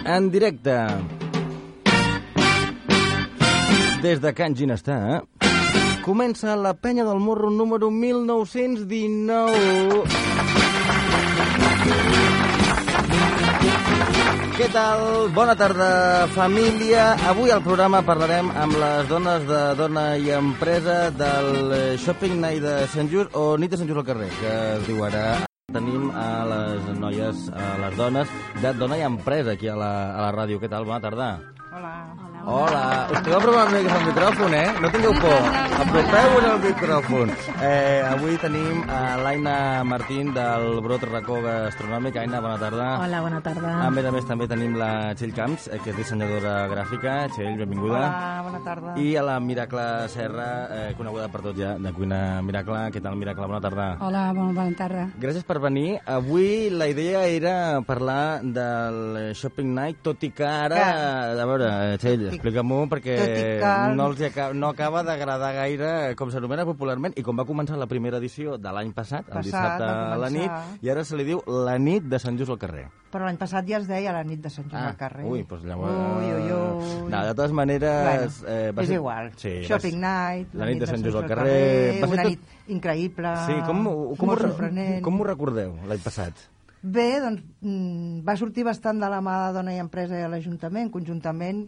en directe des de Can Ginestar. Comença la Penya del Morro número 1919. Què tal? Bona tarda, família. Avui al programa parlarem amb les dones de Dona i Empresa del Shopping Night de Sant Just, o Nit de Sant Just al carrer, que es diu ara. Tenim a les noies, a les dones de Dona i Empresa aquí a la ràdio. Què tal? Bona tarda. Hola. Us podeu aprovar una mica el micròfon, No tingueu por. Apropeu-vos al micròfon. Avui tenim a l'Aina Martín del Brot Racó Gastronòmic. Aina, bona tarda. Hola, bona tarda. A més, també tenim la Txell Camps, que és dissenyadora gràfica. Txell, benvinguda. Hola, bona tarda. I a la Miracle Serra, coneguda per tots ja, de Cuina Miracle. Què tal, Miracle? Bona tarda. Hola, bona tarda. Gràcies per venir. Avui la idea era parlar del Shopping Night, tot i que ara... A veure, Txell, explica-m'ho, perquè no acaba d'agradar gaire com s'anomena popularment i com va començar la primera edició de l'any passat, el dissabte a la nit, i ara se li diu la nit de Sant Just al carrer. Però l'any passat ja es deia la nit de Sant Just al carrer. Ui, doncs llavors... Ui. No, de totes maneres... Bueno, és igual. Sí, Shopping Night, la nit de Sant Just al carrer... Una nit increïble, molt sorprenent. Com ho recordeu, l'any passat? Bé, doncs va sortir bastant de la mà de Dona i Empresa i a l'Ajuntament, conjuntament.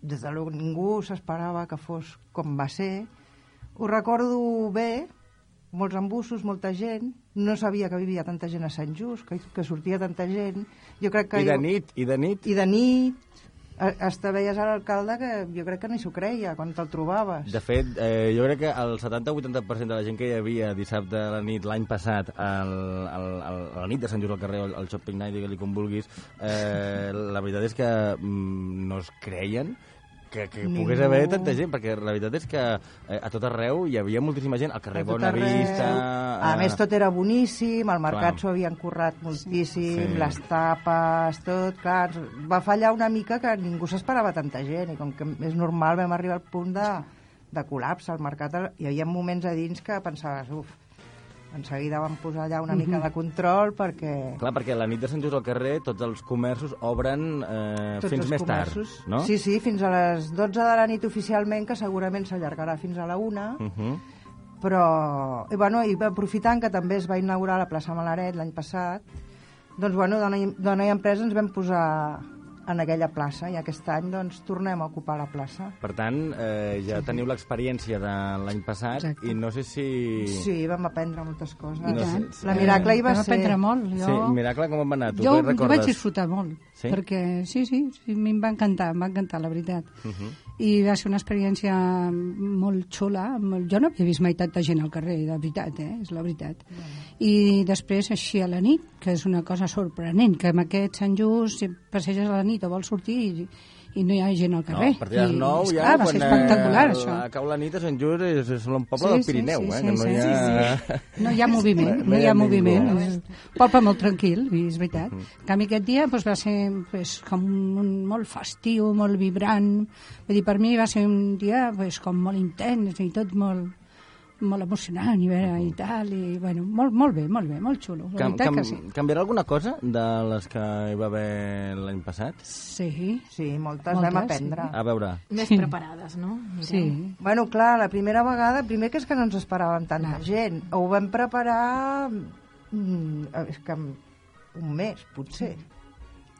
Des de ningú s'esperava que fos com va ser. Ho recordo bé, molts embussos, molta gent. No sabia que vivia tanta gent a Sant Just, que sortia tanta gent. Jo crec que I de nit. I de nit. Hasta veies a l'alcalde que jo crec que ni s'ho creia quan te'l trobaves. De fet, jo crec que el 70-80% de la gent que hi havia dissabte a la nit l'any passat a la nit de Sant Just al carrer, al Shopping Night, digue-li com vulguis, la veritat és que no es creien que pogués haver tanta gent, perquè la veritat és que a tot arreu hi havia moltíssima gent, al carrer Bonavista... A més, tot era boníssim, al mercat s'ho havien currat moltíssim, les tapes, tot, clar, va fallar una mica que ningú s'esperava tanta gent, i com que és normal vam arribar al punt de col·lapse al mercat. Hi havia moments a dins que pensaves, en seguida vam posar allà una mica de control perquè... Clar, perquè la nit de Sant Just al carrer tots els comerços obren fins més tard, no? Sí, fins a les 12 de la nit oficialment, que segurament s'allargarà fins a la 1, però... I aprofitant que també es va inaugurar la plaça Malaret l'any passat, doncs, Dona i Empresa ens vam posar en aquella plaça, i aquest any doncs tornem a ocupar la plaça. Per tant, ja teniu l'experiència de l'any passat. Exacte. I no sé si... Sí, vam aprendre moltes coses. La Miracle hi va ser... Vam aprendre molt. Sí, Miracle, com em va anar? Jo vaig disfrutar molt, perquè sí, em va encantar, la veritat. I va ser una experiència molt xula. Jo no havia vist mai tanta gent al carrer, de veritat, és la veritat. I després, així a la nit, que és una cosa sorprenent, que amb aquest Sant Just passeges a la nit o vols sortir i no hi ha gent al carrer. No, a partir de les 9 ja, va ser espectacular, això. Cau la nit a Sant Just és un poble del Pirineu, que no hi ha... No hi ha moviment, no hi ha moviment. És un poble molt tranquil, és veritat. En canvi, aquest dia va ser com molt festiu, molt vibrant. Vull dir, per mi va ser un dia com molt intens i tot molt emocionant i tal, i bueno, molt bé, molt xulo. Canviarà alguna cosa de les que hi va haver l'any passat? Sí, moltes vam aprendre. A veure. Més preparades, no? Sí. Bueno, clar, la primera vegada, primer que és que no ens esperàvem tanta gent. Ho vam preparar és que un mes, potser.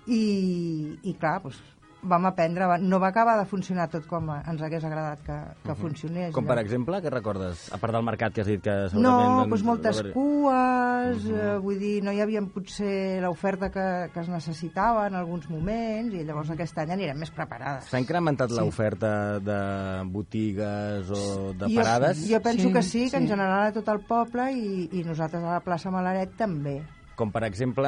I clar, doncs vam aprendre, no va acabar de funcionar tot com ens hagués agradat que funcionés. Com per exemple, què recordes? A part del mercat que has dit que segurament... No, doncs moltes cues, vull dir, no hi havia potser l'oferta que es necessitava en alguns moments, i llavors aquest any anirem més preparades. S'ha incrementat l'oferta de botigues o de parades? Jo penso que sí, que en general a tot el poble, i nosaltres a la plaça Malaret també. Com, per exemple,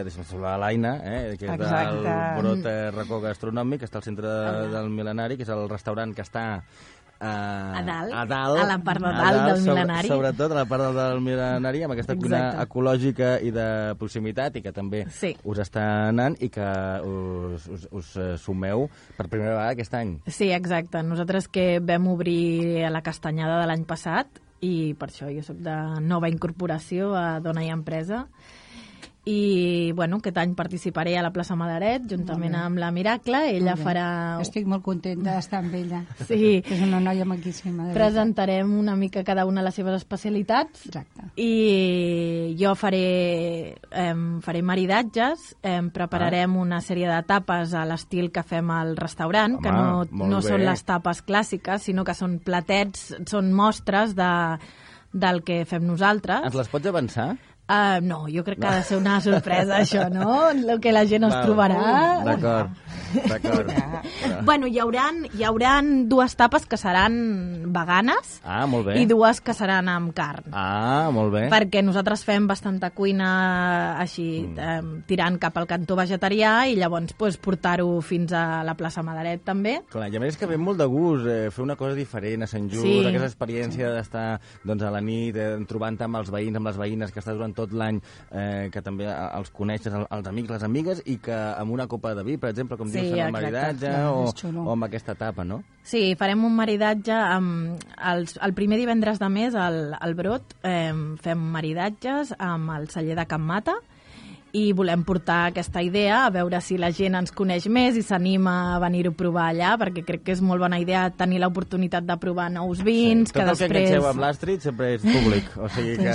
deixa'm saludar l'Aina, que és del Brot Racó Gastronòmic, que està al centre del Mil·lenari, que és el restaurant que està a dalt, a la part de dalt del Mil·lenari. Sobretot a la part del Mil·lenari, amb aquesta cuina ecològica i de proximitat, i que també us està anant, i que us sumeu per primera vegada aquest any. Sí, exacte. Nosaltres que vam obrir a la Castanyada de l'any passat, i per això jo soc de nova incorporació a Dona i Empresa, i bueno, aquest any participaré a la plaça Malaret juntament amb la Miracle. Ella farà... Estic molt contenta d'estar amb ella. Sí. És una noia maquíssima. Presentarem una mica cada una les seves especialitats. Exacte. I jo faré maridatges, prepararem una sèrie de tapes a l'estil que fem al restaurant, que no són les tapes clàssiques, sinó que són platets, són mostres del que fem nosaltres. Ens les pots avançar? No, jo crec que ha de ser una sorpresa, això, no? El que la gent es trobarà. D'acord. Bueno, hi hauran 2 tapes que seran veganes molt bé. I 2 que seran amb carn. Molt bé. Perquè nosaltres fem bastanta cuina així, tirant cap al cantó vegetarià i llavors portar-ho fins a la plaça Malaret també. Clar, i a més que ve molt de gust fer una cosa diferent a Sant Just, aquesta experiència d'estar a la nit trobant-te amb els veïns, amb les veïnes, que estàs durant tot l'any, que també els coneixes, els amics, les amigues, i que amb una copa de vi, per exemple, com dius, en el maridatge o amb aquesta tapa, no? Sí, farem un maridatge el primer divendres de mes al Brot, fem maridatges amb el celler de Can Mata i volem portar aquesta idea a veure si la gent ens coneix més i s'anima a venir-ho a provar allà, perquè crec que és molt bona idea tenir l'oportunitat de provar nous vins, que després... Tot el que enganxeu amb l'Astrid sempre és públic, o sigui que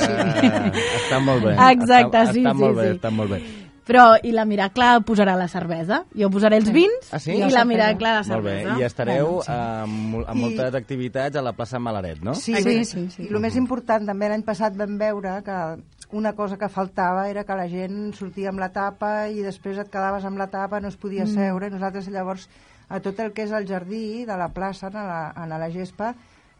està molt bé. Exacte, està molt bé. Però, i la Miracle posarà la cervesa. Jo posaré els vins i la Miracle la cervesa. Molt bé, i estareu amb moltes activitats a la plaça Malaret, no? Sí. I el més important, també l'any passat vam veure que una cosa que faltava era que la gent sortia amb la tapa i després et quedaves amb la tapa, no es podia seure, i nosaltres llavors a tot el que és el jardí de la plaça, a la gespa,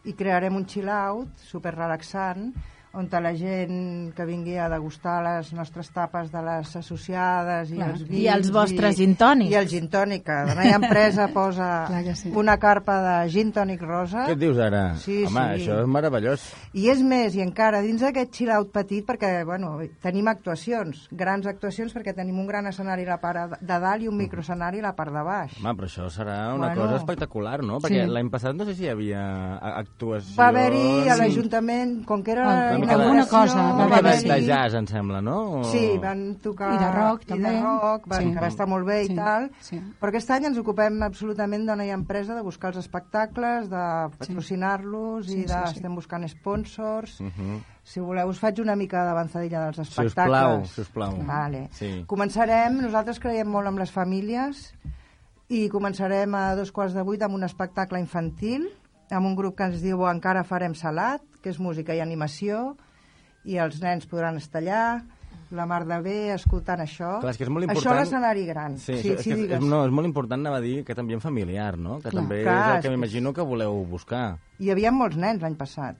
hi crearem un chill-out superrelaxant, on la gent que vingui a degustar les nostres tapes de les associades i els vins... I els vostres gin tònics. I el gin tònic, que la meva empresa posa una carpa de gin tònic rosa. Què et dius ara? Home, això és meravellós. I és més, i encara dins d'aquest chill-out petit, perquè tenim actuacions, grans actuacions, perquè tenim un gran escenari a la part de dalt i un microescenari a la part de baix. Home, però això serà una cosa espectacular, no? Perquè l'any passat no sé si hi havia actuacions... Va haver-hi a l'Ajuntament, com que era... alguna cosa va haver de jazz, em sembla, no? Sí, van tocar... I de rock, també. I de rock, que va estar molt bé i tal. Però aquest any ens ocupem absolutament Dona i Empresa de buscar els espectacles, de patrocinar-los i estem buscant sponsors. Si voleu, us faig una mica d'avançadilla dels espectacles. Sisplau. Vale. Començarem, nosaltres creiem molt amb les famílies i començarem a 7:15 amb un espectacle infantil, amb un grup que ens diu Encara farem salat, que és música i animació, i els nens podran estar allà, la mar de bé, escoltant això. Clar, és que és molt important... Això a l'escenari gran. És molt important, anava a dir, aquest ambient familiar, no? Que també és el que m'imagino que voleu buscar. Hi havia molts nens l'any passat.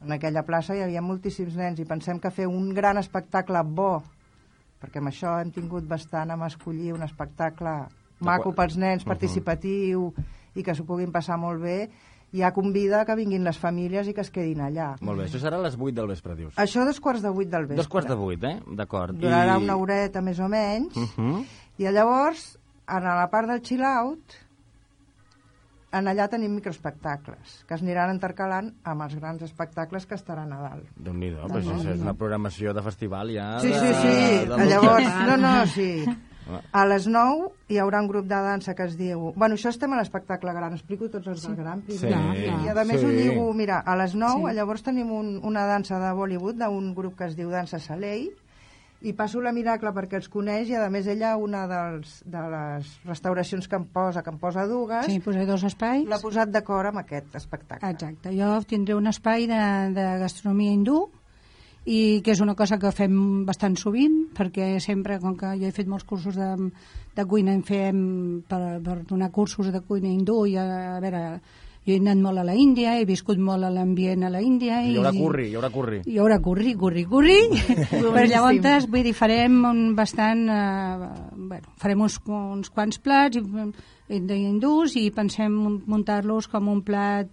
En aquella plaça hi havia moltíssims nens i pensem que fer un gran espectacle bo, perquè amb això hem tingut bastant amb escollir un espectacle maco pels nens, participatiu, i que s'ho puguin passar molt bé, ja convida que vinguin les famílies i que es quedin allà. Molt bé, això serà a les 8 del vespre, dius? Això a 7:15 del vespre. 7:15, d'acord. Durarà una horeta més o menys, i llavors, a la part del chill-out, allà tenim microespectacles, que es aniran intercalant amb els grans espectacles que estaran a dalt. Déu-n'hi-do, però això és una programació de festival ja... Sí. Llavors, sí. A les 9 hi haurà un grup de dansa que es diu... Bueno, això estem a l'espectacle gran, explico tots els del gran. I a més ho lligo, mira, a les 9 llavors tenim una dansa de Bollywood d'un grup que es diu Dansa Salei, i passo la Miracle perquè els coneix, i a més ella una de les restauracions que em posa dues, posaré 2 espais, l'ha posat d'acord amb aquest espectacle. Exacte, jo tindré un espai de gastronomia hindú, i que és una cosa que fem bastant sovint, perquè sempre, com que jo he fet molts cursos de cuina, en fem per donar cursos de cuina hindú, i a veure, jo he anat molt a la Índia, he viscut molt a l'ambient a la Índia. Hi haurà curri. Hi haurà curri. Però llavors, vull dir, farem farem uns quants plats hindús, i pensem muntar-los com un plat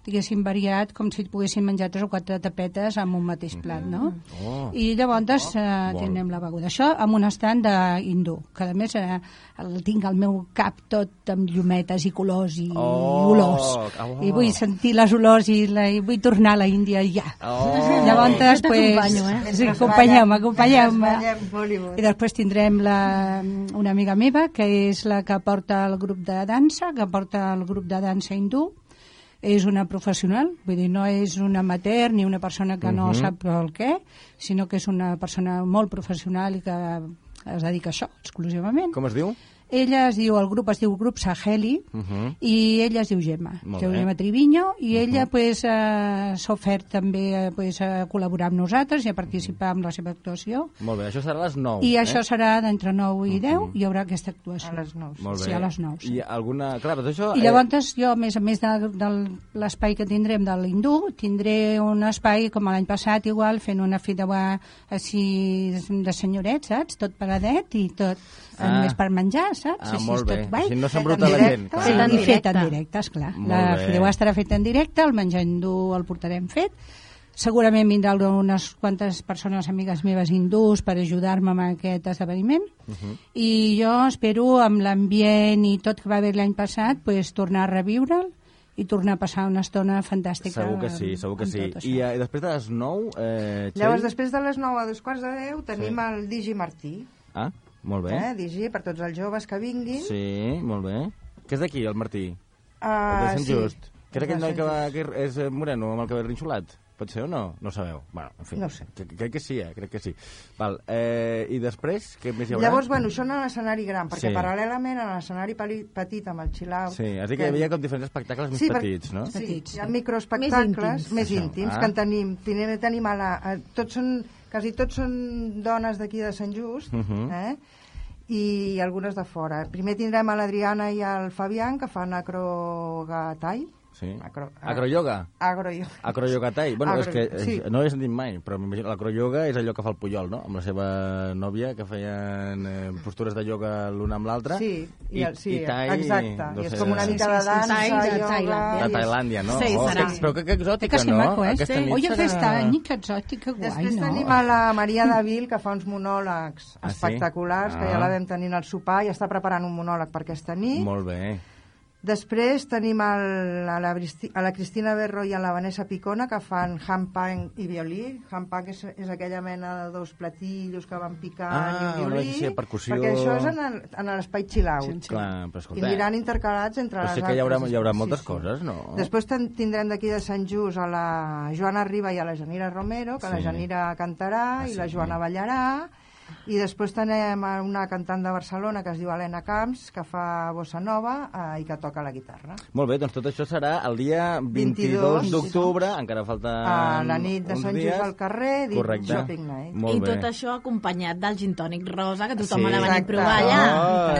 diguéssim, variat, com si poguéssim menjar 3 o 4 tapetes amb un mateix plat, no? I llavors tindrem la beguda. Això amb un estand d'hindú, que a més tinc al meu cap tot amb llumetes i colors i olors. I vull sentir les olors i vull tornar a la Índia ja. Llavors, pues, acompanyeu-me. I després tindrem una amiga meva, que és la que porta el grup de dansa, hindú. És una professional, vull dir, no és un amateur ni una persona que no sap el què, sinó que és una persona molt professional i que es dedica a això exclusivament. Com es diu? El grup es diu Grup Saheli i ella es diu Gemma Triviño, i ella s'ha ofert també a col·laborar amb nosaltres i a participar amb la seva actuació. Molt bé, això serà a les 9. I això serà d'entre 9 i 10, hi haurà aquesta actuació. A les 9. Molt bé. Sí, a les 9. Sí. I alguna... Clar, però això... I llavors jo, a més de l'espai que tindrem de l'hindú, tindré un espai com l'any passat, igual, fent una fideuà així de senyorets, saps? Tot paradet i tot més per menjar, saps? Molt bé. Així no s'embruta la gent. I fet en directe, esclar. La fideuà estarà feta en directe, el menjar hindú el portarem fet. Segurament vindran unes quantes persones amigues meves hindús per ajudar-me amb aquest esdeveniment. I jo espero, amb l'ambient i tot que va haver l'any passat, tornar a reviure'l i tornar a passar una estona fantàstica. Segur que sí, segur que sí. I després de les 9... Llavors, després de les 9 a 2:45 tenim el Digi Martí. Ah, molt bé. Digi, per tots els joves que vinguin. Sí, molt bé. Què és d'aquí, el Martí? De Sant Just. Que és aquell noi que és moreno, amb el cabell rinxolat? Pot ser o no? No sabeu. Bueno, en fi. No sé. Crec que sí, crec que sí. Val. I després, què més hi haurà? Llavors, això en l'escenari gran, perquè paral·lelament a l'escenari petit amb el chill-out... Sí, has dit que hi havia com diferents espectacles més petits, no? Sí, hi ha microespectacles més íntims, que en tenim quasi tots són dones d'aquí de Sant Just, i algunes de fora. Primer tindrem a l'Adriana i el Fabián, que fan acrogatai. Sí. Acroyoga? Acroyogatai. Bueno, és que no l'he sentit mai, però m'imagino l'acroyoga és allò que fa el Pujol, no? Amb la seva nòvia, que feien postures de ioga l'una amb l'altra. Sí, tai, exacte. I és com una mica de dansa, ioga... De Tailàndia, no? Sí, serà. Però que exòtica, no? Aquesta nit serà... aquest any, que exòtica, guai, no? Després tenim a la Maria Davil, que fa uns monòlegs espectaculars, que ja la vam tenir al sopar i està preparant un monòleg per aquesta nit. Molt bé. Després tenim a la Cristina Berro i a la Vanessa Picona, que fan handpan i violí. Handpan és aquella mena de 2 platillos que van picant i un violí. Percussió... Perquè això és en l'espai chill-out. Sí. Clar, però escolta... I aniran intercalats entre les altres. Però sí que hi haurà moltes coses, no? Després tindrem d'aquí de Sant Just a la Joana Riba i a la Janira Romero, que la Janira cantarà i la Joana ballarà. I després tenim una cantant de Barcelona que es diu Helena Camps, que fa bossa nova i que toca la guitarra. Molt bé, doncs tot això serà el dia 22 d'octubre, encara falta a la nit de Sant Just al carrer, Shopping Night. I tot això acompanyat del gin tònic rosa, que tothom ha de venir a provar allà.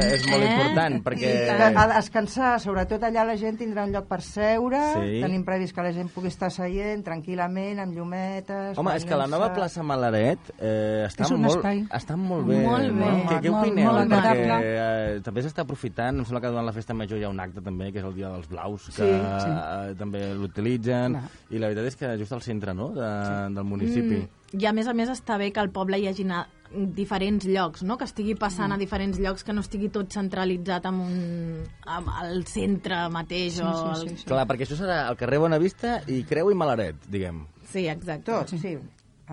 És molt important, perquè... A descansar, sobretot allà la gent tindrà un lloc per seure, tenim previst que la gent pugui estar seient tranquil·lament, amb llumetes... Home, és que la nova plaça Malaret està molt bé. Què opineu? Perquè també s'està aprofitant, em sembla que durant la festa major hi ha un acte també, que és el dia dels blaus, que també l'utilitzen, i la veritat és que just al centre, no?, del municipi. I a més està bé que al poble hi hagi diferents llocs, no?, que estigui passant a diferents llocs, que no estigui tot centralitzat al centre mateix. Clar, perquè això serà al carrer Bonavista i Creu i Malaret, diguem. Sí, exacte. Tot, sí.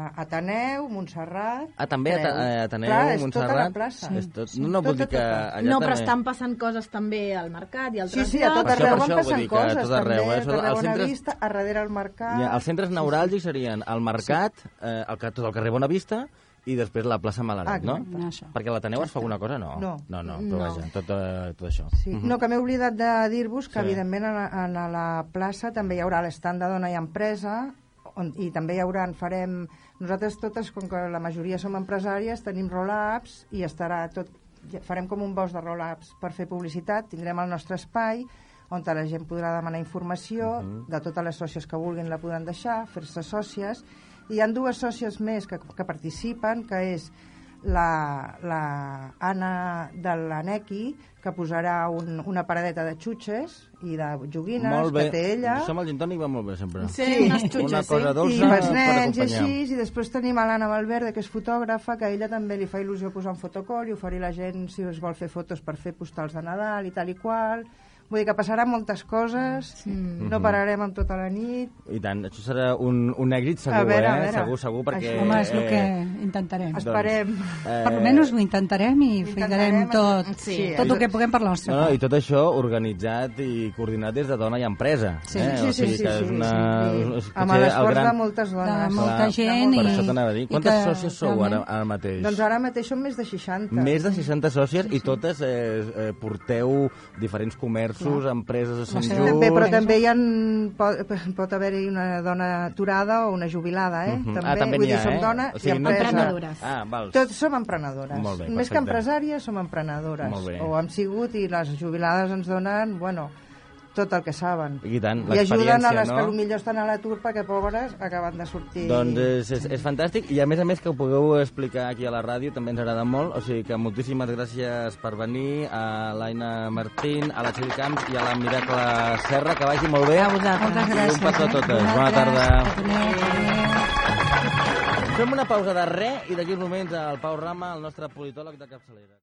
Ateneu, Montserrat... també Ateneu, Montserrat... Clar, és tota la plaça. No vull dir que allà no, però estan passant coses també al mercat i altres llocs. Sí, a tot arreu van passant coses, també. A Bonavista, a darrere al mercat... Els centres neuràlgics serien el mercat, tot el carrer Bonavista, i després la plaça Malaret, no? Perquè l'Ateneu es fa alguna cosa? No, però vaja, tot això. No, que m'he oblidat de dir-vos que, evidentment, a la plaça també hi haurà l'estand de dona i empresa, i també farem... Nosaltres totes, com que la majoria som empresàries, tenim roll-ups i estarà tot... Farem com un bosc de roll-ups per fer publicitat, tindrem el nostre espai on la gent podrà demanar informació, de totes les sòcies que vulguin la podran deixar, fer-se sòcies, i hi ha 2 sòcies més que participen, que és la Anna de l'Anequi, que posarà una paradeta de xutxes i de joguines que té ella. Això amb el gin tònic va molt bé, sempre. Sí, unes xutxes, una cosa dolça i els per nens i acompanyar. així, i després tenim l'Anna Valverde, que és fotògrafa, que a ella també li fa il·lusió posar un fotocall i oferir a la gent si es vol fer fotos per fer postals de Nadal i tal i qual. Vull dir que passaran moltes coses, no pararem amb tota la nit. I tant, això serà un èxit segur, veure. Segur, perquè... Home, és el que intentarem. Esperem. Per almenys ho intentarem i ficarem tot el que puguem per la nostra part. I tot això organitzat i coordinat des de Dona i Empresa. Sí. Amb l'esforç de moltes dones. De molta gent. Per això t'anava a dir. Quantes sòcies sou ara mateix? Doncs ara mateix són més de 60. Més de 60 sòcies i totes porteu diferents comerços, empreses a Sant Just... Però també pot haver-hi una dona aturada o una jubilada, També vull dir, som dona i empresa. Emprenedores. Tots som emprenedores. Molt bé, més que empresàries, som emprenedores. O hem sigut, i les jubilades ens donen, tot el que saben. I tant, i ajuden a les que potser estan a l'atur perquè, pobres, acaben de sortir. Doncs és fantàstic, i a més que ho pugueu explicar aquí a la ràdio també ens agrada molt, o sigui que moltíssimes gràcies per venir, a l'Aina Martín, a la Txell Camps i a la Miracle Serra, que vagi molt bé. A vosaltres. Moltes gràcies. I un petó a totes. Bona tarda. Fem una pausa de res i d'aquí uns moments el Pau Rama, el nostre politòleg de capçalera.